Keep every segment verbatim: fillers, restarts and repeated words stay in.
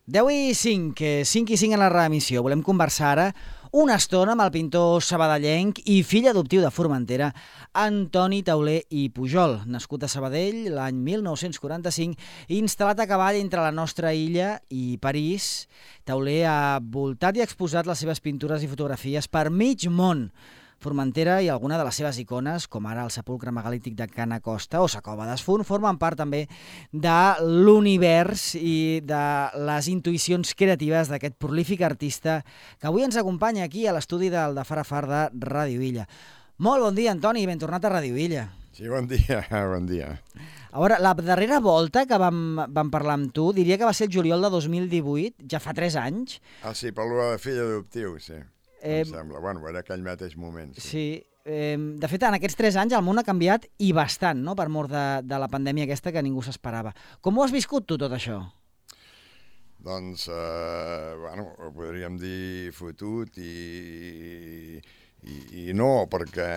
deu i cinc, cinc i cinc en la reemissió. Volem conversar ara una estona amb el pintor sabadellenc i fill adoptiu de Formentera, Antoni Tauler i Pujol, nascut a Sabadell l'any mil nou-cents quaranta-cinc i instal·lat a cavall entre la nostra illa i París. Tauler ha voltat i exposat les seves pintures i fotografies per mig món. Formentera i alguna de les seves icones, com ara el sepulcre megalític de Can Acosta o sa cova d'Esfunt, formen part també de l'univers i de les intuïcions creatives d'aquest prolífic artista que avui ens acompanya aquí a l'estudi del de Far a Far de Ràdio Illa. Molt bon dia, Antoni, ben tornat a Ràdio Illa. Sí, bon dia, bon dia. A veure, la darrera volta que vam, vam parlar amb tu, diria que va ser el juliol de dos mil divuit, ja fa tres anys. Ah, sí, per lo de fill adoptiu, sí. Eh, em sembla. Bueno, era aquell mateix moment. Sí, sí. Eh, de fet, en aquests tres anys el món ha canviat i bastant, no?, per mort de, de la pandèmia aquesta que ningú s'esperava. Com ho has viscut tu, tot això? Doncs, eh, bueno, ho podríem dir fotut i, i, i no, perquè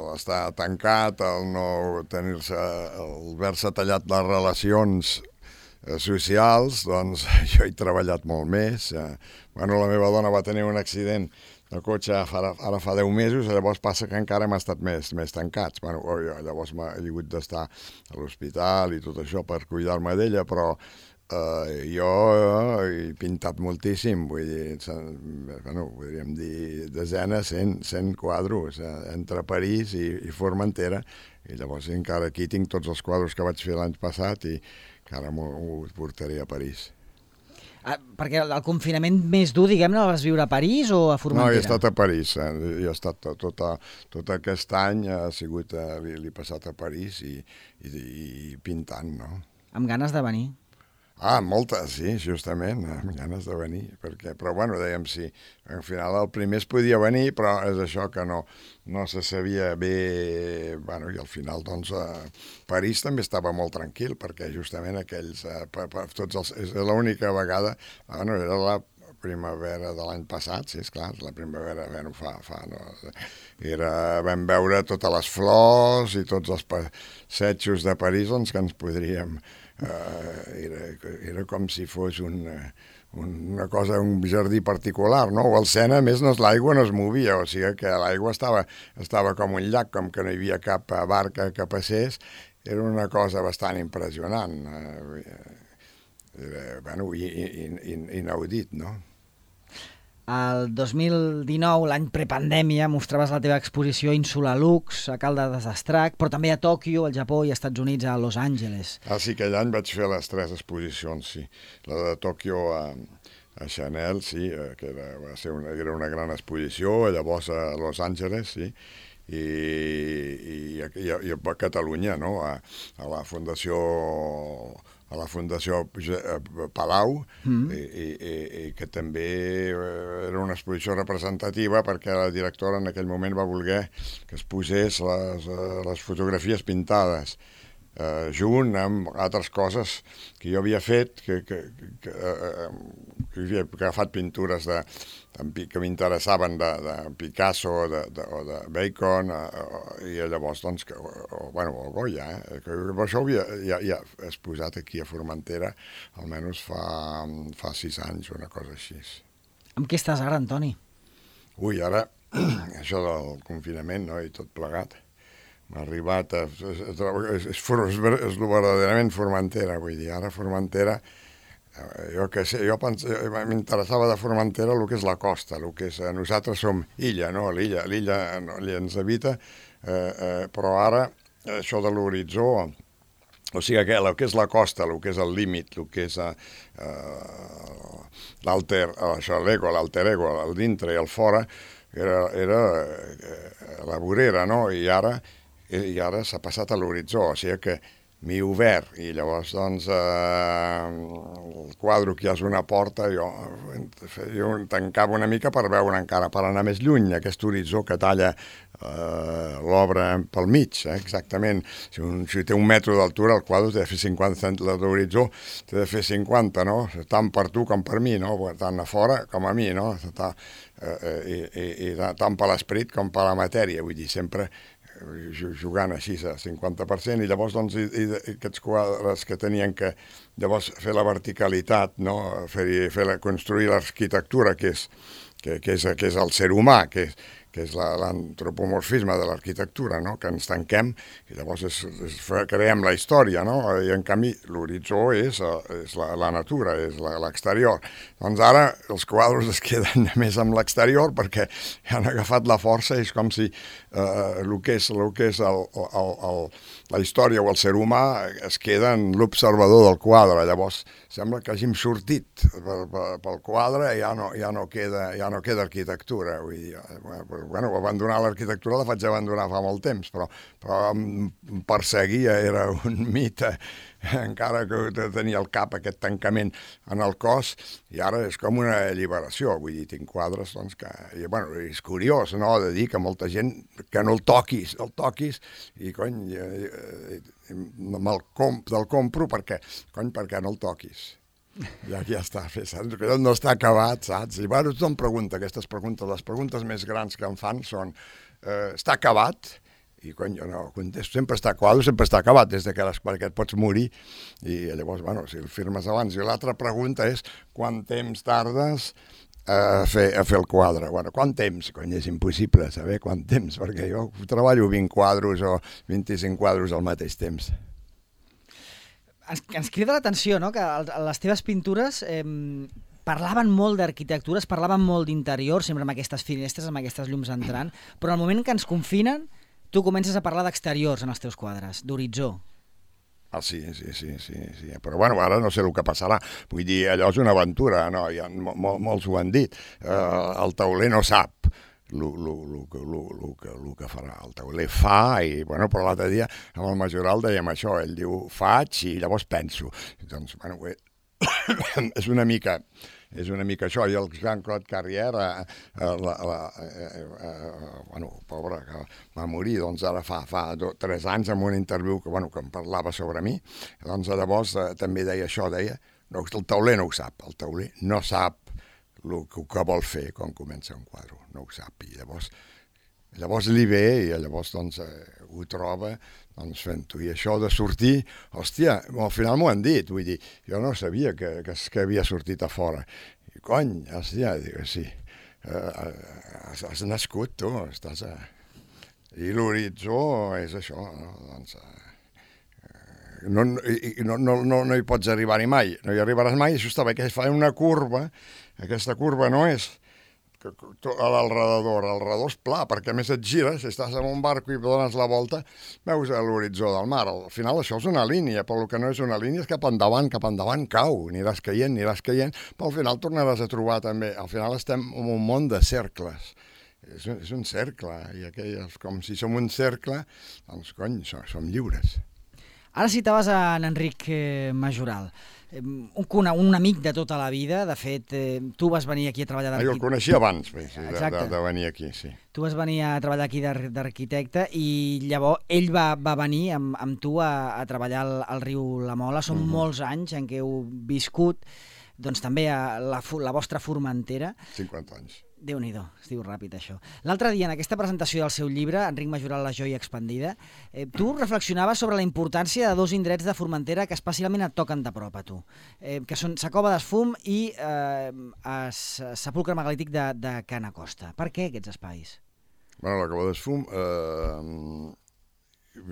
l'estar tancat, el no tenir-se, el haver-se tallat les relacions socials, doncs jo he treballat molt més. Eh, bueno, la meva dona va tenir un accident de cotxe ara, ara fa deu mesos, llavors passa que encara hem estat més, més tancats. Bueno, jo, llavors m'he hagut d'estar a l'hospital i tot això per cuidar-me d'ella, però eh, jo he pintat moltíssim, vull dir, bueno, podríem dir desenes, cent, cent quadros eh, entre París i, i Formentera, i llavors encara aquí tinc tots els quadros que vaig fer l'any passat i que ara m'ho portaré a París. Ah, perquè el confinament més dur, diguem-ne, el vas viure a París o a Formentera? No, he estat a París. Eh? He estat tot, a, tot aquest any ha sigut, eh, l'he passat a París i, i, i pintant, no? Amb ganes de venir? Ah, moltes, sí, justament, amb ganes de venir, perquè, però bueno, dèiem sí, al final el primer es podia venir, però és això que no, no se sabia bé, bueno, i al final, doncs, eh, París també estava molt tranquil, perquè justament aquells, eh, per, per, tots els, és l'única vegada, bueno, era la primavera de l'any passat, sí, esclar, la primavera, bueno, fa, fa, no, era, vam veure totes les flors i tots els passejos de París, doncs, que ens podríem... Uh, era, era com si fos un, un, una cosa, un jardí particular, no? O el Sena, a més, no, l'aigua no es movia, o sigui que l'aigua estava, estava com un llac, com que no hi havia cap barca que passés, era una cosa bastant impressionant, uh, era, bueno, inaudit, no? El dos mil dinou, l'any prepandèmia, mostraves la teva exposició Insula Lux a Caldes d'Estrac, però també a Tòquio, al Japó i als Estats Units, a Los Angeles. Ah, sí, aquell any vaig fer les tres exposicions, sí. La de Tòquio a, a Chanel, sí, que era, va ser una, era una gran exposició, llavors a Los Angeles, sí, i, i, i, a, i a Catalunya, no?, a, a la Fundació... a la Fundació Palau, mm. i, i, i que també era una exposició representativa perquè la directora en aquell moment va voler que es posés les, les fotografies pintades eh, junt amb altres coses que jo havia fet, que, que, que, eh, que havia agafat pintures de, de, que m'interessaven de, de Picasso de, de, o de Bacon, eh, i llavors, doncs, que, o, bueno, o Goya, eh, que això ho havia ja, ja exposat aquí a Formentera, almenys fa, fa sis anys, una cosa així. Amb què estàs ara, Antoni? Ui, ara, això del confinament, no?, i tot plegat. M'ha arribat a... És, és, és, és, és verdaderament Formentera, vull dir, ara Formentera, jo que sé, jo m'interessava de Formentera el que és la costa, el que és... Nosaltres som illa, no?, l'illa, l'illa no, ens habita, eh, eh, però ara això de l'horitzó, o sigui, que, el que és la costa, el que és el límit, el que és eh, l'alter, això, l'ego, l'alter ego, el dintre i el fora, era, era eh, la vorera, no?, i ara... i ara s'ha passat a l'horitzó, o sigui que m'he obert, i llavors, doncs, eh, el quadre que hi ha és una porta, jo, jo tancava una mica per veure encara, per anar més lluny, aquest horitzó que talla eh, l'obra pel mig, eh, exactament. Si, un, si té un metro d'altura, el quadre té de fer cinquanta centímetres d'horitzó, té de fer cinquanta, no? Tant per tu com per mi, no? Tant a fora com a mi, no? Tant, eh, i, i, i tant per l'esperit com per la matèria, vull dir, sempre... jugant així a cinquanta per cent, i llavors doncs, i, i aquests quadres que tenien que llavors fer la verticalitat, no? fer, fer la, construir l'arquitectura, que és, que, que, és, que és el ser humà, que és, que és l'antropomorfisme de l'arquitectura, no? Que ens tanquem i llavors és, és, creem la història, no? I en canvi l'horitzó és, és la, la natura, és l'exterior. Doncs ara els quadres es queden més amb l'exterior perquè han agafat la força, és com si eh, el que és, el que és el, el, el, la història o el ser humà es queda en l'observador del quadre. Llavors sembla que hàgim sortit pel, pel quadre i ja no, ja no queda, ja no queda arquitectura. Vull dir, bueno, abandonar l'arquitectura la faig abandonar fa molt temps, però, però em perseguia, era un mite, encara que tenia al cap aquest tancament en el cos, i ara és com una alliberació. Vull dir, tinc quadres, doncs, que... I, bueno, és curiós, no?, de dir que molta gent que no el toquis, el toquis, i, cony, me'l comp, te'l compro perquè, cony, perquè no el toquis. Ja, ja està, saps? Que no està acabat, saps? I bueno, tothom pregunta aquestes preguntes. Les preguntes més grans que em fan són eh, està acabat? I cony, jo no contesto, sempre està quadre, sempre està acabat, des de que, les, que et pots morir. I llavors, bueno, si el firmes abans. I l'altra pregunta és quant temps tardes a fer, a fer el quadre? Bueno, quant temps? Cony, és impossible saber quant temps, perquè jo treballo vint quadros o vint-i-cinc quadros al mateix temps. Ens, ens crida l'atenció, no?, que les teves pintures eh, parlaven molt d'arquitectura, es parlaven molt d'interior, sempre amb aquestes finestres, amb aquestes llums entrant, però al moment que ens confinen, tu comences a parlar d'exteriors en els teus quadres, d'horitzó. Ah, sí, sí, sí, sí, sí. Però bueno, ara no sé el que passarà. Vull dir, allò és una aventura, no? Ja, mol, molts ho han dit. Uh, el tauler no sap el que farà. El tauler fa, i bueno, però l'altre dia amb el Majoral dèiem això, ell diu faig i llavors penso. Doncs, bueno, bé, és una mica... És una mica això, i el Jean-Claude Carrière, eh, la, la, eh, eh, bueno, pobre, que va morir, doncs ara fa, fa do, tres anys en un interviu que, bueno, que em parlava sobre mi, doncs llavors eh, també deia això, deia, no, el tauler no ho sap, el tauler no sap el que, que vol fer quan comença un quadre, no ho sap, i llavors, llavors li ve, i llavors doncs eh, ho troba, doncs fent-ho. I això de sortir, hòstia, al final m'ho han dit, vull dir, jo no sabia que, que, que havia sortit a fora. I cony, hòstia, dic, sí, uh, has, has nascut tu, estàs a... I l'horitzó és això, no? Doncs, uh, no, i, no, no, no, no hi pots arribar-hi mai, no hi arribaràs mai, això està bé, que fa una curva, aquesta curva no és a l'alrededor, l'alrededor és pla, perquè a més et gires, si estàs en un barco i dones la volta, veus l'horitzó del mar. Al final això és una línia, però el que no és una línia és cap endavant, cap endavant cau, aniràs caient, aniràs caient, però al final tornaràs a trobar també, al final estem en un món de cercles. És un, és un cercle, i aquelles, com si som un cercle, doncs cony, som, som lliures. Ara citaves a en Enric eh, Majoral, eh, un, un amic de tota la vida. De fet, eh, tu vas venir aquí a treballar d'arquitecte. Ah, jo el coneixia abans bé, sí, de, de, de venir aquí, sí. Tu vas venir a treballar aquí d'arquitecte i llavors ell va, va venir amb, amb tu a, a treballar al, al riu La Mola. Són mm-hmm. molts anys en què heu viscut, doncs també a la, la vostra Formentera. cinquanta anys. Déu-n'hi-do, es diu ràpid això. L'altre dia, en aquesta presentació del seu llibre, Enric Majoral, La joia expandida, eh, tu reflexionaves sobre la importància de dos indrets de Formentera que especialment et toquen de prop a tu, eh, que són Sa Cova d'Esfum i eh, es, Sepulcre Megalític de, de Can Acosta. Per què aquests espais? Bueno, la Cova d'Esfum... Eh,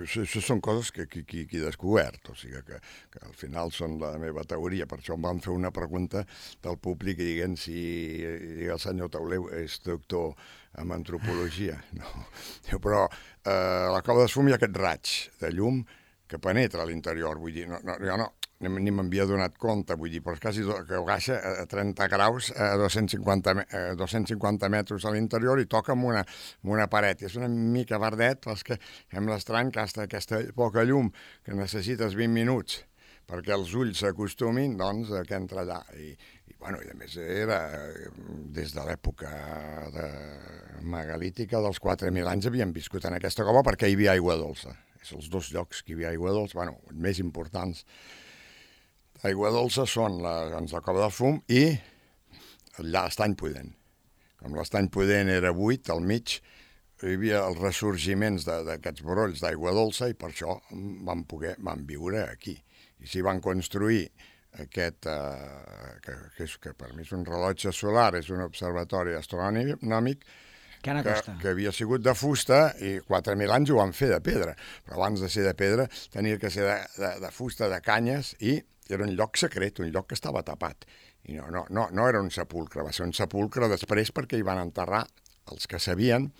això, això són coses que, que, que, que he descobert, o sigui que, que al final són la meva teoria. Per això em van fer una pregunta del públic i dient si el senyor Tauleu és doctor en antropologia. No. Però eh, a la Cova d'Esfum hi ha aquest raig de llum que penetra a l'interior, vull dir, no, no, jo no, ni m'havia donat compte, vull dir, però és quasi que baixa a trenta graus a dos-cents cinquanta metres a l'interior i toca amb una, amb una paret. I és una mica verdet, però és que sembla estrany que hasta aquesta poca llum, que necessites vint minuts perquè els ulls s'acostumin, doncs, que entra allà. I, i, bueno, i a més era des de l'època de megalítica dels quatre mil anys havien viscut en aquesta cova perquè hi havia aigua dolça. És els dos llocs que hi havia aigua dolça, bueno, els més importants. Aigua dolça són la, doncs, la Cova del Fum i l'Estany Pudent. Com l'Estany Pudent era buit, al mig, hi havia els ressorgiments d'aquests brolls d'aigua dolça i per això van poder, van viure aquí. I s'hi van construir aquest, eh, que, que, és, que per mi és un rellotge solar, és un observatori astronòmic, que, que havia sigut de fusta i quatre mil anys ho van fer de pedra, però abans de ser de pedra tenia que ser de, de, de fusta, de canyes, i era un lloc secret, un lloc que estava tapat. I no, no, no, no era un sepulcre, va ser un sepulcre després perquè hi van enterrar els que sabien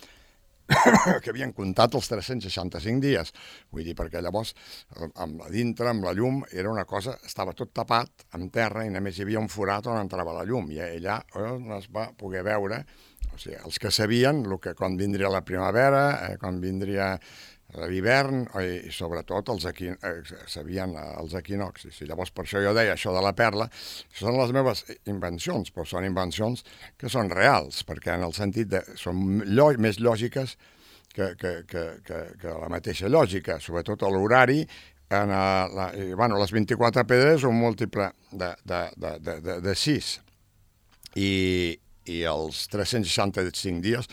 que havien comptat els tres-cents seixanta-cinc dies. Vull dir, perquè llavors, amb la dintre, amb la llum, era una cosa, estava tot tapat amb terra i només hi havia un forat on entrava la llum. I allà on es va poder veure, o sigui, els que sabien el que, quan vindria la primavera, eh, quan vindria l'hivern, i sobretot els equin... eh, sabien els equinoxis. I llavors per això jo deia això de la perla, són les meves invencions, però són invencions que són reals, perquè en el sentit de... són llo... més lògiques que, que, que, que, que la mateixa lògica, sobretot a l'horari. En la, i, bueno, les vint-i-quatre pedres un múltiple de, de, de, de, de, de sis, i, i els tres-cents seixanta-cinc dies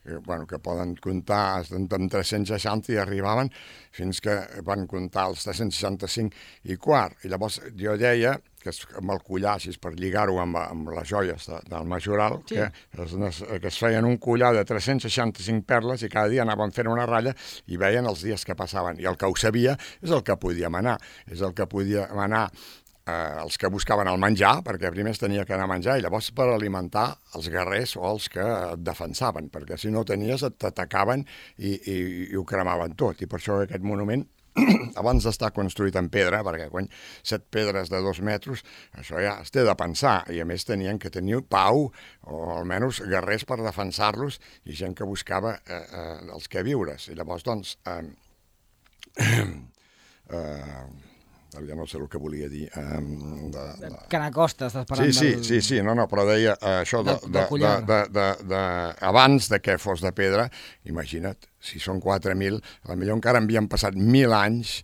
que, bueno, que poden comptar amb tres-cents seixanta i arribaven fins que van comptar els tres-cents seixanta-cinc i quart. I llavors jo deia que es, amb el collar, així per lligar-ho amb, amb les joies de, del majoral, sí. que, es, que es feien un collar de tres-cents seixanta-cinc perles i cada dia anaven fent una ratlla i veien els dies que passaven. I el que ho sabia és el que podia manar, és el que podia manar Eh, els que buscaven el menjar, perquè primer es tenia que anar a menjar i llavors per alimentar els guerrers o els que et defensaven, perquè si no tenies t'atacaven i, i, i ho cremaven tot. I per això aquest monument, abans d'estar construït en pedra, perquè quan set pedres de dos metres, això ja es té de pensar, i a més tenien que tenir pau, o almenys guerrers per defensar-los, i gent que buscava eh, eh, els que viures. I llavors, doncs... Eh, eh, ja no sé el que volia dir. Um, de, de... Canacosta, estàs parlant sí, sí, del... Sí, sí, no, no, però deia uh, això de, de, de, de, de, de, abans de que fos de pedra, imagina't, si són quatre mil, potser encara havien passat mil anys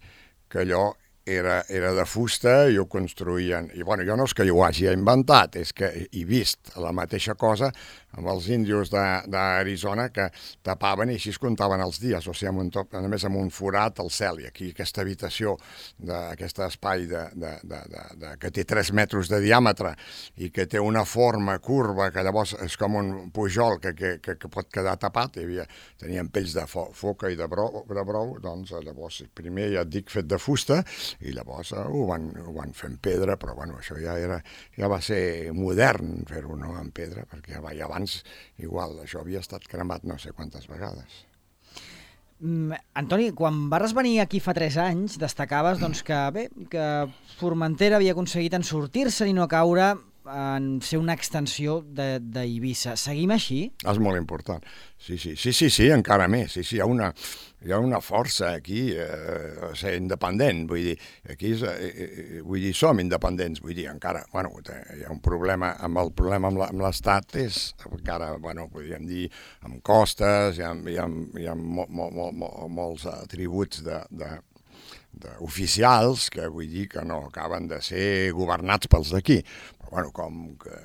que allò era, era de fusta i ho construïen. I bueno, jo no és que jo ho hagi inventat, és que he vist la mateixa cosa amb els índios d'Arizona que tapaven i així es comptaven els dies, o sigui, amb un top, només amb un forat al cel. I aquí aquesta habitació, aquest espai de, de, de, de, de, que té tres metres de diàmetre i que té una forma curva, que llavors és com un pujol que, que, que, que pot quedar tapat, hi havia, tenien pells de fo, foca i de brou, de brou, doncs llavors primer ja et dic fet de fusta, i llavors eh, ho, van, ho van fer en pedra, però bueno, això ja era ja va ser modern fer-ho, no, en pedra, perquè ja va, ja abans igual, això havia estat cremat no sé quantes vegades. Mm, Antoni, quan vas venir aquí fa tres anys, destacaves doncs, que, bé, que Formentera havia aconseguit en sortir-se i no caure en ser una extensió d'Eivissa. Seguim així? És molt important. Sí, sí, sí, sí, sí, encara més. Sí, sí, hi ha una, hi ha una força aquí eh, a ser independent. Vull dir, aquí és, eh, vull dir, som independents. Vull dir, encara, bueno, hi ha un problema amb el problema amb l'Estat, és encara, bueno, podríem dir, amb costes, hi ha, hi ha, hi ha mo, mo, mo, mo, molts atributs de, de oficials que vull dir que no acaben de ser governats pels d'aquí, però bueno, com que,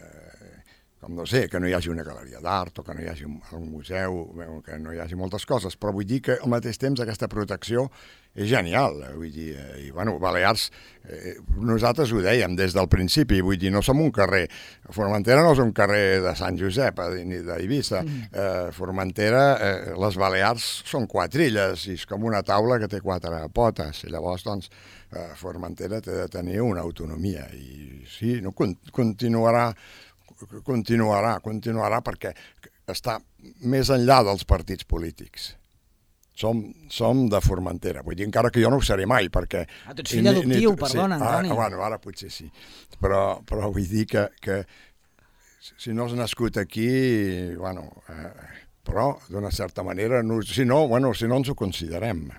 com no sé, que no hi hagi una galeria d'art o que no hi hagi un, un museu, que no hi hagi moltes coses, però vull dir que al mateix temps aquesta protecció és genial, vull dir, i bueno, Balears, eh, nosaltres ho dèiem des del principi, vull dir, no som un carrer, Formentera no és un carrer de Sant Josep ni d'Eivissa, mm. eh, Formentera, eh, les Balears són quatre illes i és com una taula que té quatre potes, i llavors, doncs, eh, Formentera té de tenir una autonomia, i sí, no, continuarà, continuarà, continuarà perquè està més enllà dels partits polítics. Som, som de Formentera, vull dir, encara que jo no ho seré mai, perquè... Ah, tu ets fill adoptiu, perdona, sí, Antoni. Ah, bueno, ara potser sí, però, però vull dir que, que si no has nascut aquí, bueno, eh, però d'una certa manera, no, si no, bueno, si no ens ho considerem.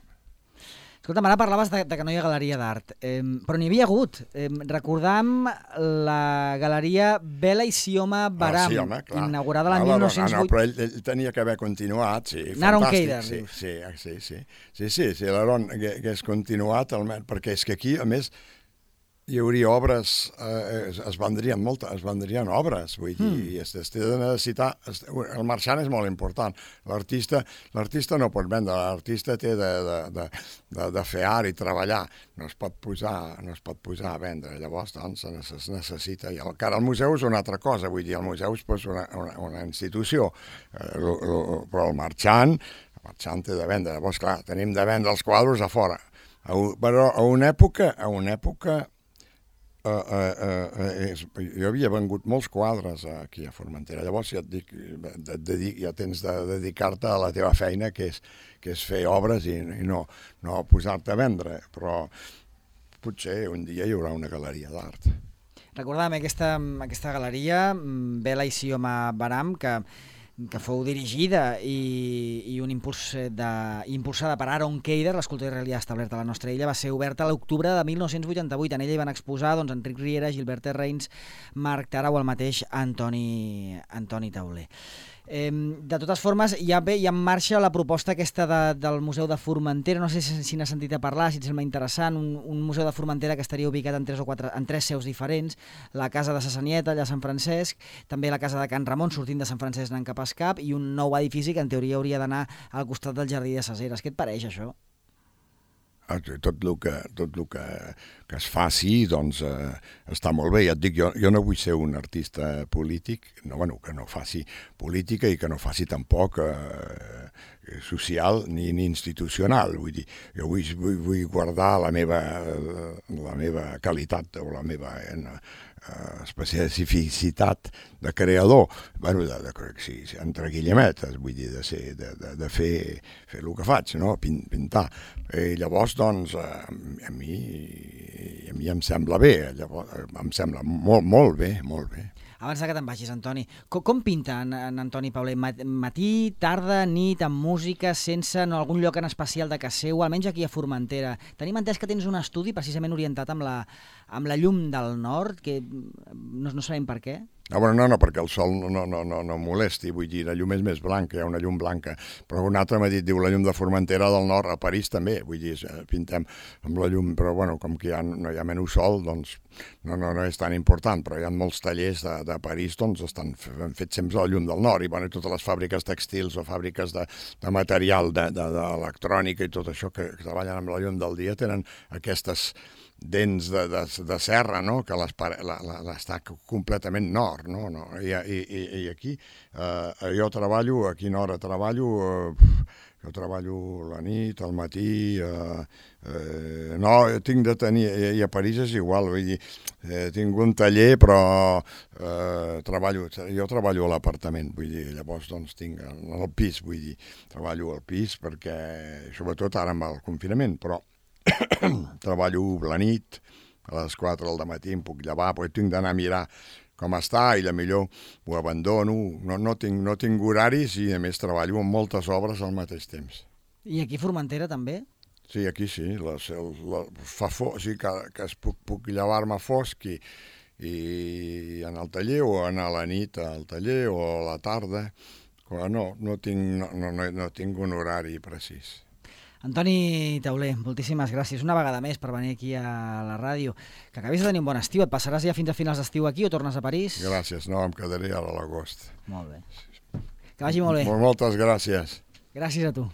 Escolta'm, ara parlaves de, de que no hi ha galeria d'art, eh, però n'hi havia hagut. Eh, recordam la galeria Bela i Sioma Baram, ah, sí, home, inaugurada l'any mil nou-cents vuit. No, però ell, ell tenia que haver continuat, sí, Naron fantàstic. Keider, sí, dius. sí, sí, sí, sí, sí, sí, sí l'Aaron que, que és continuat, perquè és que aquí, a més, hi hauria obres, eh, es, es vendrien moltes, es vendrien obres, vull dir, mm. i es, es té de necessitar, es, el marxant és molt important, l'artista l'artista no pot vendre, l'artista té de, de, de, de, de fer art i treballar, no es pot posar, no es pot posar a vendre, llavors doncs es necessita, i el, cara, el museu és una altra cosa, vull dir, el museu és pues, una, una, una institució, eh, lo, lo, però el marxant, el marxant té de vendre, llavors clar, tenim de vendre els quadres a fora, a, però a una època, a una època Uh, uh, uh, és, jo havia vengut molts quadres aquí a Formentera, llavors ja, et dic, de, de, ja tens de dedicar-te a la teva feina, que és, que és fer obres i, i no, no posar-te a vendre, però potser un dia hi haurà una galeria d'art. Recordàvem aquesta, aquesta galeria, Vela i Sioma Baram, que que fou dirigida i, i un impuls de, impulsada per Aaron Keider, l'escultor israelià establert a la nostra illa, va ser oberta a l'octubre de mil nou-cents vuitanta-vuit. En ella hi van exposar doncs, Enric Riera, Gilbert Reins, Marc Tara o el mateix Antoni, Antoni Tauler. Eh, de totes formes, ja ve ja en marxa la proposta aquesta de, del Museu de Formentera. No sé si, si n'has sentit a parlar, si et sembla interessant, un, un museu de Formentera que estaria ubicat en tres o quatre, en tres seus diferents, la casa de Sassanieta, allà a Sant Francesc, també la casa de Can Ramon, sortint de Sant Francesc anant cap a Escap, i un nou edifici que en teoria hauria d'anar al costat del Jardí de Saseres. Què et pareix, això? Tot el que, tot el que, que es faci, doncs, eh, està molt bé. Ja et dic, jo, jo no vull ser un artista polític, no, bueno, que no faci política i que no faci tampoc eh, social ni, ni institucional. Vull dir, jo vull, vull, vull guardar la meva, la meva qualitat o la meva eh, especificitat de creador, bueno, de, de, sí, entre guillemetes, vull dir, de, ser, de, de, de fer, fer el que faig, no? Pintar. I llavors, doncs, a, a mi a mi em sembla bé, llavors, em sembla molt, molt bé, molt bé. Abans que te'n vagis, Antoni, com, com pinta en, en Antoni Pauler? Matí, tarda, nit, amb música, sense, en algun lloc en especial de casa seu, almenys aquí a Formentera? Tenim entès que tens un estudi precisament orientat amb la, amb la llum del nord, que no, no sabem per què. No, bueno, no, no, perquè el sol no, no, no, no molesti, vull dir, la llum és més blanca, hi ha una llum blanca, però un altre m'ha dit, diu, la llum de Formentera del Nord, a París també, vull dir, pintem amb la llum, però bueno, com que ja no hi ha menys sol, doncs no, no, no és tan important, però hi ha molts tallers de, de París, doncs estan fets sempre a la llum del Nord, i bueno, totes les fàbriques textils o fàbriques de, de material, d'electrònica i tot això que, que treballen amb la llum del dia tenen aquestes dents de, de, de serra, no? Que les, la, la, està completament nord, no? No? I, i, i aquí eh, jo treballo, a quina hora treballo, eh, jo treballo la nit, al matí, eh, eh, no, tinc de tenir, i a París és igual, vull dir, eh, tinc un taller, però eh, treballo, jo treballo a l'apartament, vull dir, llavors doncs tinc el pis, vull dir, treballo al pis perquè, sobretot ara amb el confinament, però treballo la nit, a les quatre del matí em puc llevar, però tinc d'anar a mirar com està i millor ho abandono, no, no, tinc, no tinc horaris i a més treballo amb moltes obres al mateix temps. I aquí a Formentera també? Sí, aquí sí, la, la, fa fos, sí que, que es puc, puc llevar-me fosc i, i anar al taller o anar a la nit al taller o a la tarda, però no, no, tinc, no, no, no tinc un horari precís. Antoni Tauler, moltíssimes gràcies una vegada més per venir aquí a la ràdio. Que acabis de tenir un bon estiu. Et passaràs ja fins a finals d'estiu aquí o tornes a París? Gràcies, no, em quedaré ara a l'agost. Molt bé. Que vagi molt bé. Moltes gràcies. Gràcies a tu.